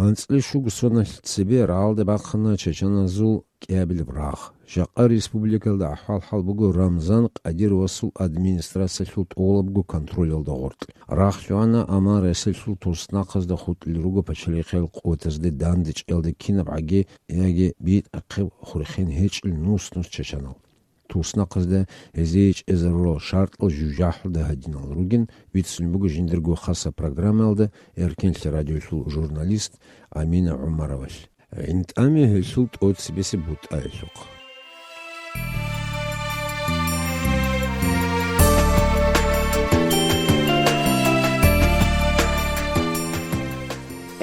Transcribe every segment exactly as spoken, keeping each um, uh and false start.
АнцӀила щуго соналъ цебе рагӀалде бахъана чачаназул кӀиабилеб рагъ. Жакъа республикалда ахӀвал-хӀал буго Рамзан Къадировасул администрациялъул тӀолабго контролялда гъоркь. Рагъ лъугӀана, амма Россиялъул туснахъазда хутӀулел руго пачалихъиял къуватазде дандечӀеялда кинаб гӀаги яги битӀахъеб хурхен гьечӀел нус-нус чачанал. Туснахъазда гьезие чӀезарурал шартӀал жужахӀалда гьадинал ругин, бицунеб буго жиндирго хасаб программаялда Эркенлъи радиоялъул журналист Амина ГӀумаровалъ. ГӀинтӀаме гьелъул тӀоцебесеб бутӀаялъухъ.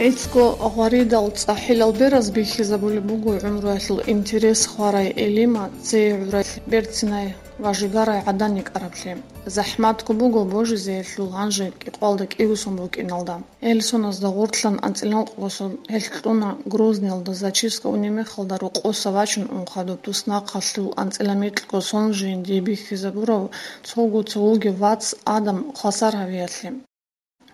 ГӀицӀго гъваридал цӀахӀилал бераз бихьизабулеб буго гӀумруялъул интерес хварай Элима цее гӀуралъ берцинай ва жигарай гӀадан йикӀараблъи. ЗахӀматго буго божизеялъул гьанже кӀикъвалда кӀигусун букӀиналда. Гьел соназда гъорлъан анцӀила ункъго сон гьелъ кьуна Грозныйалда зачистка унеб мехалда рокъоса вачун ун хадуб туснахъалъул анцӀила микьго сон жиндие бихьизабурав цого-цо вугев вац Адам хвасар гьавиялъе.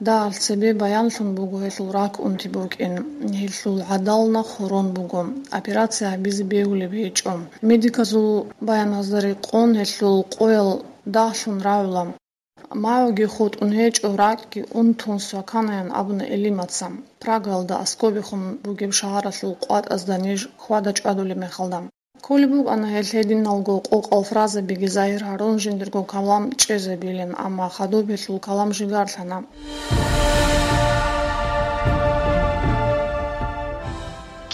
Дагьал цебе баянлъун буго гьелъул рак унти букӀин, гьелъул гӀадал нахъ хурон буго, операция гьабизе бегьулеб гьечӀо. Медиказул баяназда рекъон гьелъул къоял дагьлъун рагӀула. Магьуги хутӀун гьечӀо, ракӀги унтун сваканаян абуна Элимаца. Прагаялда аскӀобехун бугеб шагьаралъул къватӀазда ниж хьвада-чӀвадулеб мехалда. Кколеб букӀана гьел гьединалго къокъал фразабиги загьир гьарун жиндирго калам чӀезабилин, амма хадуб гьелъул калам жигарлъана.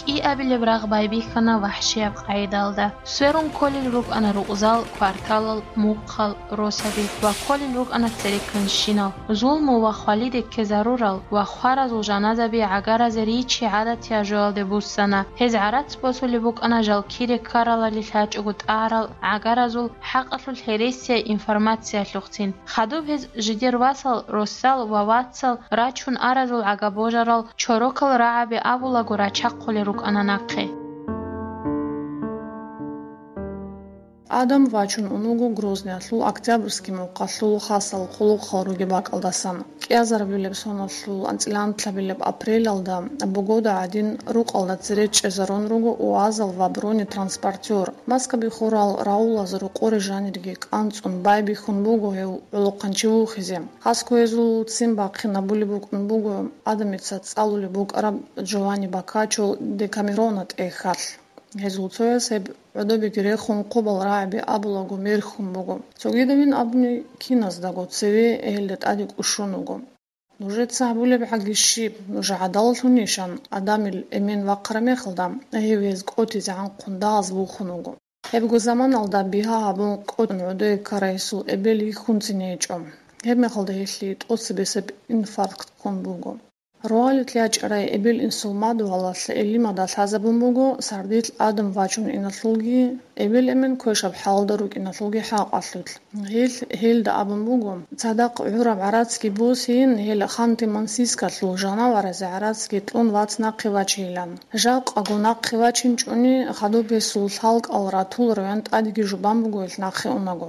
КӀиабилеб рагъ байбихьана вахӀшияб къагӀидалда. Сверун кколел рукӀана рукъзал, кварталал, мухъал, росаби ва кколел рукӀана церекканщинал. Зулму ва хвалиде ккезарурал ва хваразул жаназаби гӀагаразе ричи гӀадатиял жоялде буссана. Гьез гӀарац босулеб букӀана жал кире ккаралали лъачӀого тӀагӀарал гӀагаразул хӀакъалъулъ гьересияй информациялъухъцин. Хадуб гьез жидер васал, росал ва вацал рачун аразул гӀагабожарал чорокал рагӀаби абулаго рачахъулел рукӀана нахъе. Адам вачун ун вуго Грозныялъул Октябрьский мухъалъул хасал хъулухъал ругеб бакӀалдасан. КӀиазарбилеб соналъул анцӀила анлъабилеб апрелалда бугода гӀадин рукъалда цере чӀезарун руго уазал ва бронетранспортер. Маскаби хурал раулаз рокъоре жанирги кӀанцӀун байбихьун буго гьев гӀолохъанчи вухизе. Хасго гьезул ццин бахъинабулеб букӀун буго Адамица цӀалулеб букӀараб Джованни Боккаччо Декамерона тӀехьалъ. Гьезул цояс гьеб гӀодобиги рехун, хъубал рагӀаби абулаго мерхьун буго. Цогидавин абуни киназдаго цеве гьелда тӀаде кӀушун вуго. Нужеца гьабулеб гӀаги щиб, нуж гӀадаллъунищан? Адамил эмен вахъараб мехалда, гьев гьез кӀотизе гӀанхъун дагьаз бухун вуго. Гьебго заманалда бигьа гьабун кӀочӀун гӀодое ккарай гьесул эбел йихьунцин гьечӀо. Гьеб мехалда гьелъие тӀоцебесеб инфаркт ккун буго. Рогьалилъ ячӀарай эбел-инсул мадугьалалъ Элимада лъазабун буго сардилъ Адам вачун иналъулги, эбел-эмен квешаб хӀалда рукӀиналъулги хӀакъалъулъ. Гьел гьелда абун буго, цадахъ гӀураб гӀарацги босейин, гьел Ханты-Мансийскалъул жанаваразе гӀарацги кьун вац нахъе вачейилан. Жакъаго нахъе вачинчӀони, хадуб гьесул лъалкӀал ратул район тӀадеги жубан буго гьел нахъе унаго.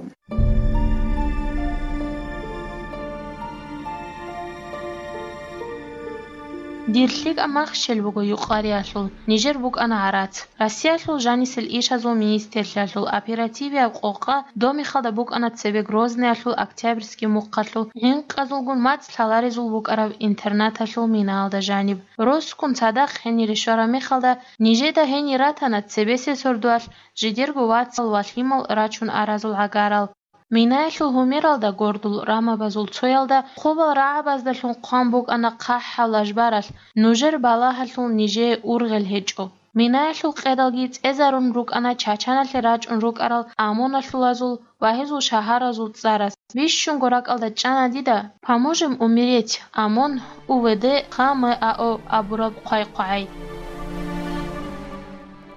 Дир лъикӀаб махщел буго юкъариялъул, нижер букӀана гӀарац. Россиялъул жанисел ишазул министрлъиялъул оперативияб къокъа домихалда букӀана цебе Грозныялъул Октябрьский мухъалъул гӀинкъазулгун мацӀ лъаларезул букӀараб интернаталъул минаялда жаниб. Росгун цадахъ гьенире щвараб мехалда, нижеда гьенир ратана цебесеб сордоялъ жидерго вацал ва лъимал рачун аразул гӀагарал. Минаялъул гьумералда гордул рамабазул цоялда хъубал рагӀабаздалъун хъван букӀана хъахӀаб лажбаралъ, нужер балагьалъул нижее ургъел гьечӀо. Минаялъул къедалги цӀезарун рукӀана чачаналъе рачӀун рукӀарал ОМОНалъулазул ва гьезул шагьаразул цӀарас. Бищунго ракӀалда чӀана дида «Поможем умереть, ОМОН, УВД, ХМАО» абураб хъвай-хъвагӀай.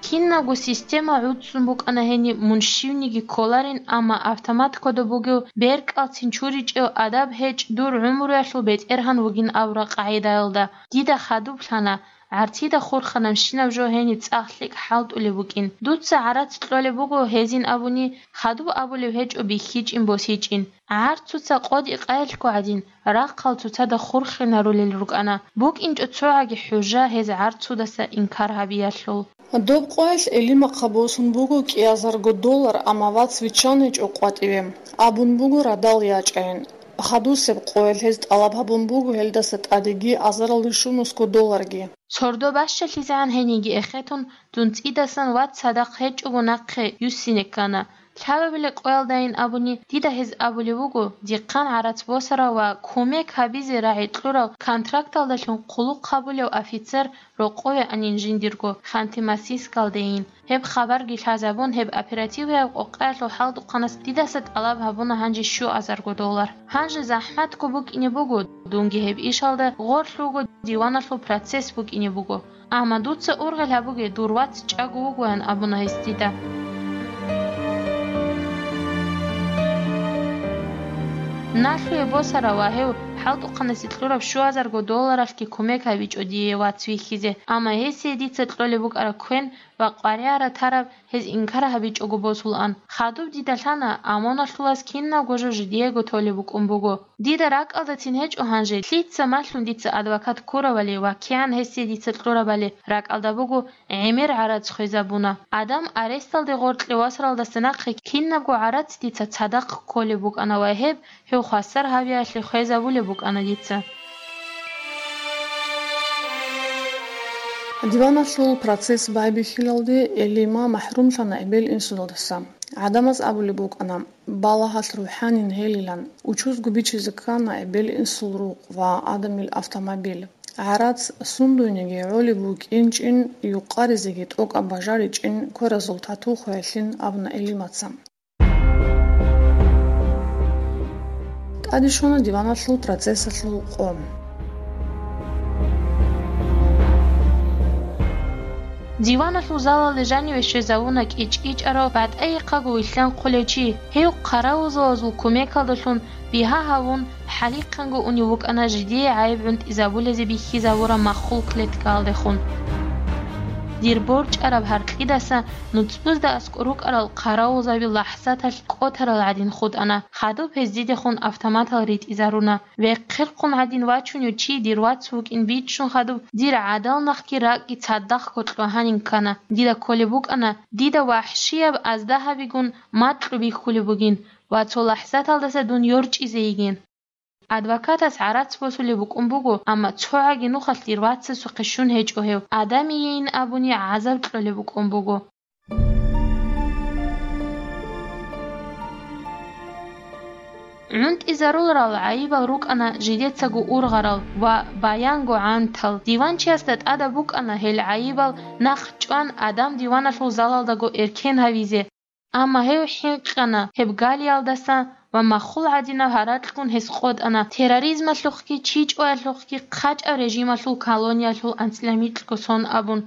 Кинабго система гӀуцӀцӀун букӀана гьениб, мун щивниги кколарин, амма автомат кодоб бугев, беркӀалцин чуричӀев, адаб гьечӀ, дур гӀумруялъул бетӀергьан вугин абураб къагӀидаялда. Дида хадуб лъана, ГӀарцида хурханабщинаб жо гьениб цӀакъ лъикӀ хӀалтӀулеб букӀин. Дуца гӀарац кьолеб буго гьезин абуни, хадуб абулеб гьечӀо бихьичӀин-босичӀин. ГӀарцуца къоди къайилъго гӀадин, рахъал цоцазда хурхинарулел рукӀана, букӀинчӀо цогӀаги хӀужа гьез гӀарцудаса инкар гьабиялъул. Доб къоялъ Элимахъа босун буго кӀиазарго доллар, амма вац виччан гьечӀо къватӀиве. Абун буго радал ячӀайин. Хадусеб къоялъ гьез тӀалаб гьабун буго гьелдаса тӀадеги азаралде щунусго долларги. Сордо бащалъизегӀан гьениги эхетун, дун цӀидасан вац цадахъ гьечӀого нахъе юссине ккана. Лъабабилеб къоялдайин абуни, дида гьез абулеб буго, дихъан гӀарац босарав ва кумек гьабизе рагӀи кьурав контракталдалъун хъулухъ гьабулев офицер рокъове анин жиндирго Ханты-Мансийскалдейин. Гьеб хабарги лъазабун, гьеб оперативаяб къокъаялъул хӀалтӀухъанас дидаса тӀалаб гьабуна гьанже щуазарго доллар. Гьанже захӀматго букӀине буго, дунги гьеб ишалда гъорлъ вуго, диваналъул процесс букӀине буго. Амма дуца ургъел гьабуге, дур вац чӀаго вугоян абуна гьес дида. Налъуе босарав ва гьев хӀалтӀухъанасе кьураб щуазарго долларалъги кумек гьабичӀо дие вац вихьизе, амма гьесие дица кьолеб букӀараб квен ва къваригӀара тараб гьез инкар гьабичӀого босулаан. Хадуб дида лъана, ОМОНалъулаз кинабго жо жидеего толеб букӀун буго. Дида ракӀалдацин гьечӀо гьанже, лъица малъун дица адвокат ккуравали ва кигӀан гьесие дица кьурабали ракӀалда буго, гӀемер гӀарац хвезабуна. Адам аресталде гъоркье васаралдаса нахъе кинабго гӀарац дица цадахъ кколеб букӀана ва гьеб, гьев хвасар гьавиялъе хвезабулеб букӀана дица. Диваналъул процесс байбихьилалде Элима махӀрумлъана эбел-инсудалдаса. ГӀадамаз абулеб букӀана, балагьалъ рухӀанин гьелилан, учузго бичизе ккана эбел-инсул рукъ ва Адамил автомобиль. ГӀарац сундуйниги гӀолеб букӀинчӀин, юкъаризеги тӀокӀаб бажаричӀин кверазул тату хвеялъин абуна Элимаца. ТӀаде щвана диваналъул процессалъул къо. Диваналъул залалде жаниве щвезавуна кӀичӀичӀарав батӀайихъаго вилълъанхъулев чи. Гьев хъаравулзабазул кумекалдалъун бигьа гьавун, хӀалихъанго унев вукӀана жидее гӀайиб гӀунтӀизабулезе бихьизавураб маххул клеткаялдехун. Дир борчӀараб гьаркьидаса нуцӀбузда аскӀор рукӀарал хъаравулзаби лахӀзаталъ кӀотарал гӀадин хутӀана, хадуб гьез дидехун автоматал ритӀизаруна. Вехъерхъун гӀадин вачунев чи дир вац вукӀин бичӀчӀун хадуб, дир гӀадал нахъги ракӀги цадахъго кьвагьанин ккана. Дида кколеб букӀана, дида вахӀщияб азда гьабигун макьу бихьулеб бугин ва цо лахӀзаталдаса дун йорчӀизе йигин. Адвокатас гӀарац босулеб букӀун буго, амма цогӀаги нухалъ дир вацасухъе щун гьечӀо гьев, адамийин абуни гӀазаб кьолеб букӀун буго. ГӀунтӀизаруларал гӀайибал рукӀана жидецаго ургъарал ва баянго гӀантал. Диванчиясда тӀадаб букӀана гьел гӀайибал нахъ чӀван, Адам диваналъул залалдаго эркен гьавизе. Амма гьев хӀинкъана гьеб галиялдаса ва маххул гӀадинаб гьаракьгун гьес къотӀана, терроризмалъухъги чичӀоялъухъги хъачӀаб режималъул колониялъул анцӀила микьго сон абун.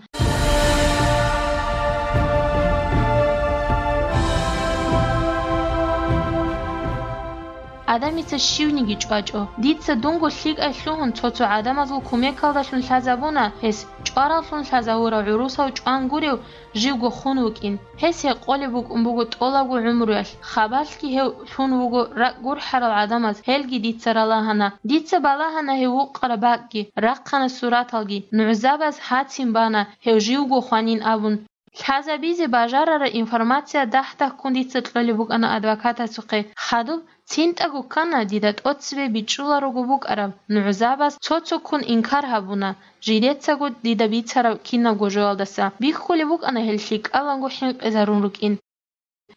Адамица щивниги чӀвачӀо. Дица дунго лъикӀай лъугьун цо-цо гӀадамазул кумекалдалъун лъазабуна гьес, чӀвараллъун лъазавурав гӀурусав чӀван гурев, живго хун вукӀин. Гьес гьекъолеб букӀун буго тӀолабго гӀумруялъ, хабалъги гьев лъун вуго ракӀ гурхӀарал гӀадамаз, гьелги дица ралагьана. Дица балагьана гьев вукъараб бакӀги, рахъана сураталги, нугӀзабаз гьацин бана гьев живго хванин абун. Лъазабизе бажарараб информация дагь-дагьккун дица кьолеб букӀана адвокатасухъе. Хадуб цинтӀаго ккана дида тӀоцебе бичӀчӀуларого букӀараб, нугӀзабаз цо-цоккун инкар гьабуна, жидецаго дида бицараб кинабго жоялдаса. Бихьулеб букӀана гьел лъикӀаланго хӀинкъизарун рукӀин.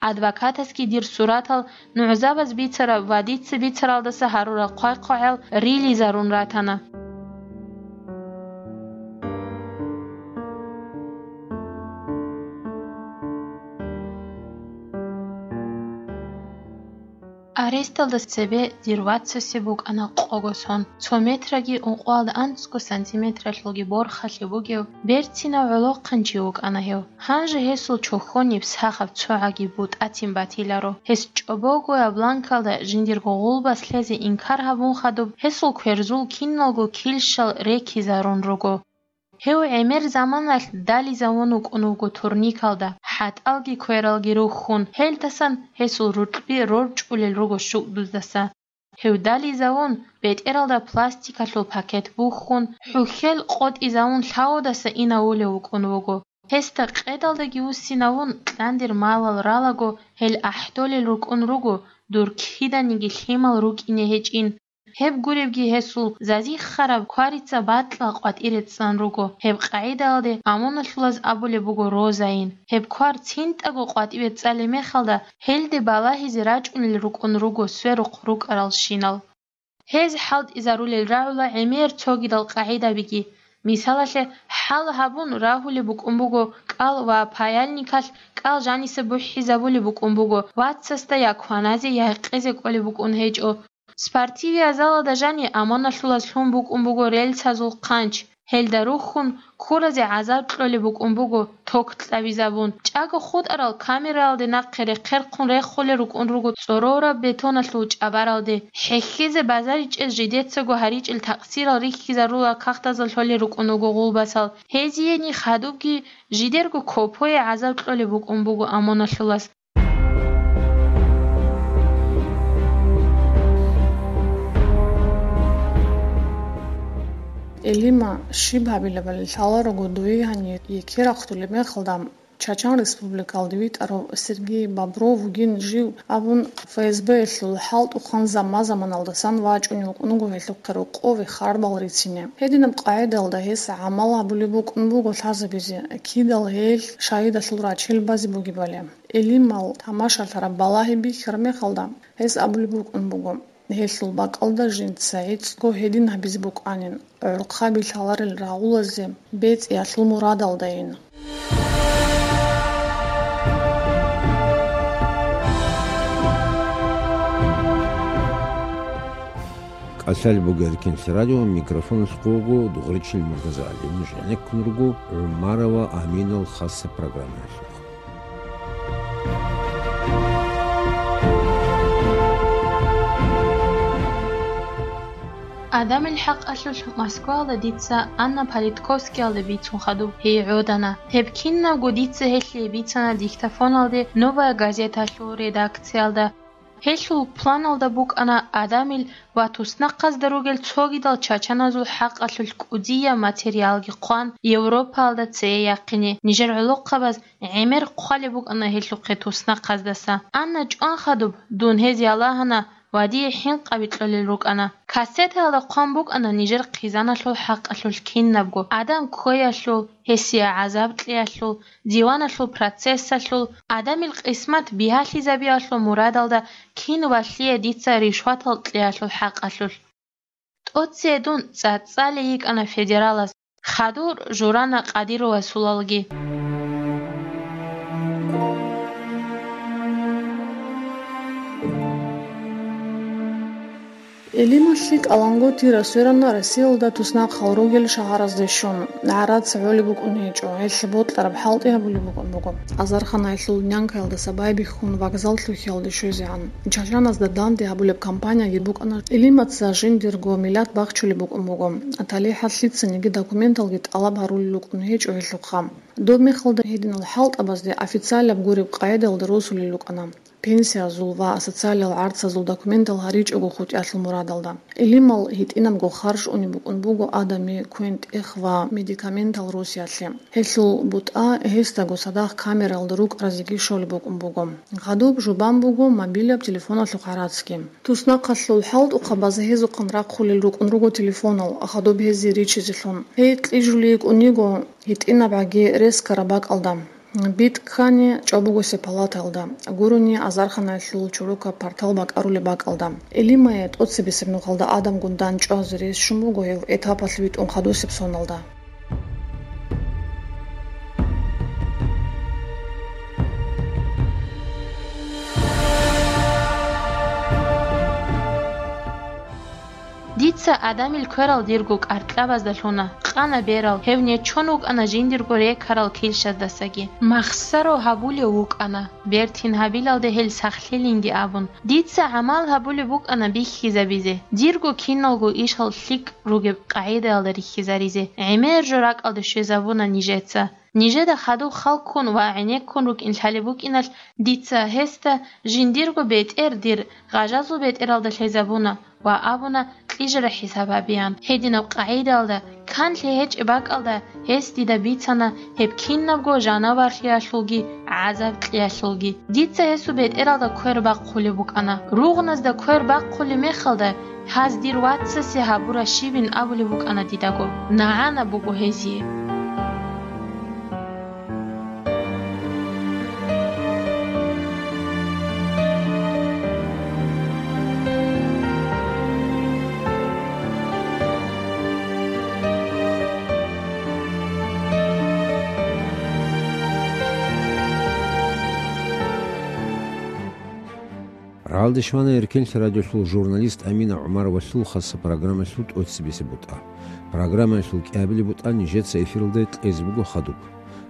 Адвокатасги дир суратал, нугӀзабаз бицараб ва дица бицаралдаса гьарурал хъвай-хъвагӀал рилизарун ратана. Аресталда цебе дир вацасе букӀана къого сон, цо метраги ункъоялда анцӀго сантиметралъулги борхалъи бугев, берцинав гӀолохъанчи вукӀана гьев. Гьанже гьесул чохьониб сахаб цогӀаги бутӀатин батиларо. Гьес чӀобогояб бланкалда жиндирго гъулбас лъезе инкар гьабун хадуб, гьесул кверзул киналго килщал рекизарун руго. Гьев гӀемер заманалъ дализавун вукӀун вуго турникалда, хӀатӀалги квералги рухьун, гьелдасан гьесул рукьби рорчӀулел руго щукӀдуздаса. Гьев дализавун, бетӀералда пластикалъул пакет бухьун, хӀухьел къотӀизавун лъавудаса инавулев вукӀун вуго. Гьесда къедалдаги вуссинавун, кьандир малал ралаго, гьел ахӀдолел рукӀун руго, дур киданиги лъимал рукӀине гьечӀин. Гьеб гуребги гьесул зазихъараб кварица бакьа къватӀире цӀан руго. Гьеб къагӀидалде амуналъулаз абулеб буго розаин. Гьеб квар цинтӀаго къватӀиве цӀалеб мехалда, гьелде балагьизе рачӀунел рукӀун руго сверухъ рукӀаралщинал. Гьез хӀалтӀизарулел рагӀула гӀемер цогидал къагӀидабиги. Мисалалъе, хӀал гьабун рагьулеб букӀун буго кӀал ва паяльникалъ кӀал жаниса бухӀизабулеб букӀун буго, вацасда я кваназе, я гьекъезе кӀолеб букӀун гьечӀо. Спортивиязалалда жани амуналъулаз лъун букӀун буго рельсазул хъанч. Гьелда рухьун, ккуразе гӀазаб кьолеб букӀун буго, ток кьабизабун. ЧӀаго хутӀарал камералде нахъе рехъерхъун рехулел рукӀун руго цӀорораб бетоналъул чӀабаралде. ХӀехьезе базаричӀел жидецаго гьаричӀел такъсирал рихьизарула кагътазда лъолел рукӀун руго гъулбасал. Гьезиени хадубги жидерго копое гӀазаб кьолеб букӀун буго амуналъулаз. Элима, щиб гьабилебали лъаларого дуе гьанир, еке рахъулеб мехалда Чачан Республикалде витӀарав Сергей Бобров вугин жив абун, ФСБ-ялъул хӀалтӀухъан замма-заманалдасан вачӀунев вукӀун вуго гьелъухъе рокъове харбал рицине. Гьединаб къагӀидалда гьес гӀамал гьабулеб букӀун буго лъазабизе, кидал гьел шагьидалъул рачел базе бугебали. Элимал тамашалъараб балагьи бихьараб мехалда, гьес абулеб букӀун буго, гьелъул бакӀалда жинца гӀицӀго гьедин гьабизе букӀанин, гӀурхъаби лъаларел рагъулазе бецӀиялъул мурадалдайин. КӀалъалеб буго Эркин телерадио, микрофоналъухъ вуго Дугъричил МуртазагӀалиевич, гӀенеккун руго ГӀумарова Аминал хасаб программаялъухъ. Адамил хӀакъалъулъ Москваялда дица Анна Политковскиялда бицун хадуб гьей гӀодана. Гьеб кинабго дица гьелъие бицана диктофоналде «Новая газеталъул» редакциялда. Гьелъул планалда букӀана адамил ва туснахъазда ругел цогидал чачаназул хӀакъалъулъ кӀудияб материалги хъван, Европаялда цее яхъине. Нижер гӀолохъабаз гӀемер хъвалеб букӀана гьелъухъе туснахъаздаса. Анна чӀван хадуб, дун гьез ялагьана ва дие хӀинкъаби кьолел рукӀана. Кассетаялда хъван букӀана нижер хъизаналъул хӀакъалъулъ кинабго: адам кквеялъул, гьесие гӀазаб кьеялъул, диваналъул процессалъул, адамил къисмат бигьалъизабиялъул мурадалда кин ва лъие дица ришватал кьеялъул хӀакъалъулъ. ТӀоцее дун цӀацӀалей йикӀана федералас, хадур журана Къадировасулалги. Элималъи кӀалангутира сверана Россиялда туснахъал ругел шагьаразде щун. ГӀарац гӀолеб букӀун гьечӀо, гьелъ бокьараб хӀалтӀи гьабулеб букӀун буго. Азарханаялъул нянкаялдаса байбихьун вокзал лъухьиялде щвезегӀан, чачаназда данде гьабулеб компанияги букӀана. Элимаца жиндирго миллат бахчулеб букӀун буго. ТалихӀалъ лъицаниги документалги тӀалаб гьарулел рукӀун гьечӀо гьелъухъа. Доб мехалда гьединал хӀалтӀабазде официалаб гуреб къагӀидаялда росулел рукӀана. Пенсиязул ва социалиял гӀарцазул документал гьаричӀого хутӀиялъул мурадалда. Элимал гьитӀинабго харж унеб букӀун буго адами, квен-тӀех ва медикаментал росиялъе. Гьелъул бутӀа гьесдаго цадахъ камералда рукӀаразеги щолеб букӀун буго. Гьадуб жубан буго мобилаб телефоналъухъ гӀарацги. Туснахъалъул хӀалтӀухъабаз гьезухъан рахъулел рукӀун руго телефонал, гьадуб гьезие ричизелъун. Гьей кьижулей йикӀун йиго гьитӀинабгӀаги рескараб бакӀалда. БитӀ ккани чӀобогосеб палатаялда, гурони азарханаялъул чорокаб партал бакӀарулеб бакӀалда. Элимае тӀоцебесеб нухалда адамгун дандчӀвазе рес щун буго гьев этапалъ витӀун хадусеб соналда. Дица адамил кверал дирго каркьабазда лъуна, къана берал, гьев нечон вукӀана жиндирго рекарал килщаздасаги. Махсаро гьабулев вукӀана, бертин гьабилалде гьел сахлъилинги абун. Дица гӀамал гьабулеб букӀана бихьизабизе, дирго киналго ишал лъикӀ ругеб къагӀидаялда рихьизаризе. ГӀемер жо ракӀалде щвезабуна нижеца. Нижеда хадуб халккун ва гӀенеккун рукӀин лъалеб букӀиналъ, дица гьесда жиндирго бетӀер дир гъажазул бетӀералда лъезабуна ва абуна кьижара хӀисаб гьабеян. Гьединаб къагӀидаялда, канлъи гьечӀеб бакӀалда гьес дида бицана гьеб кинабго жанаварлъиялъулги гӀазаб кьеялъулги. Дица гьесул бетӀералда квер бахъулеб букӀана. Ругъназда квер бахъулеб мехалда, гьаз дир вацасе гьабура щибин абулеб букӀана дидаго. НагӀана буго гьезие. Ралдеш вана Эркенлъи радиолъул журналист Амина ГӀумаровалъул хаса программалъул тӀоцебесеб бутӀа. Программалъул кӀиабилеб бутӀа нижеца эфиралда кьезе буго хадуб.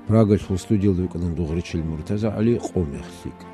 Прагалъул студиялда вукӀана дугъричил МуртазагӀали, къо мех лъикӀ.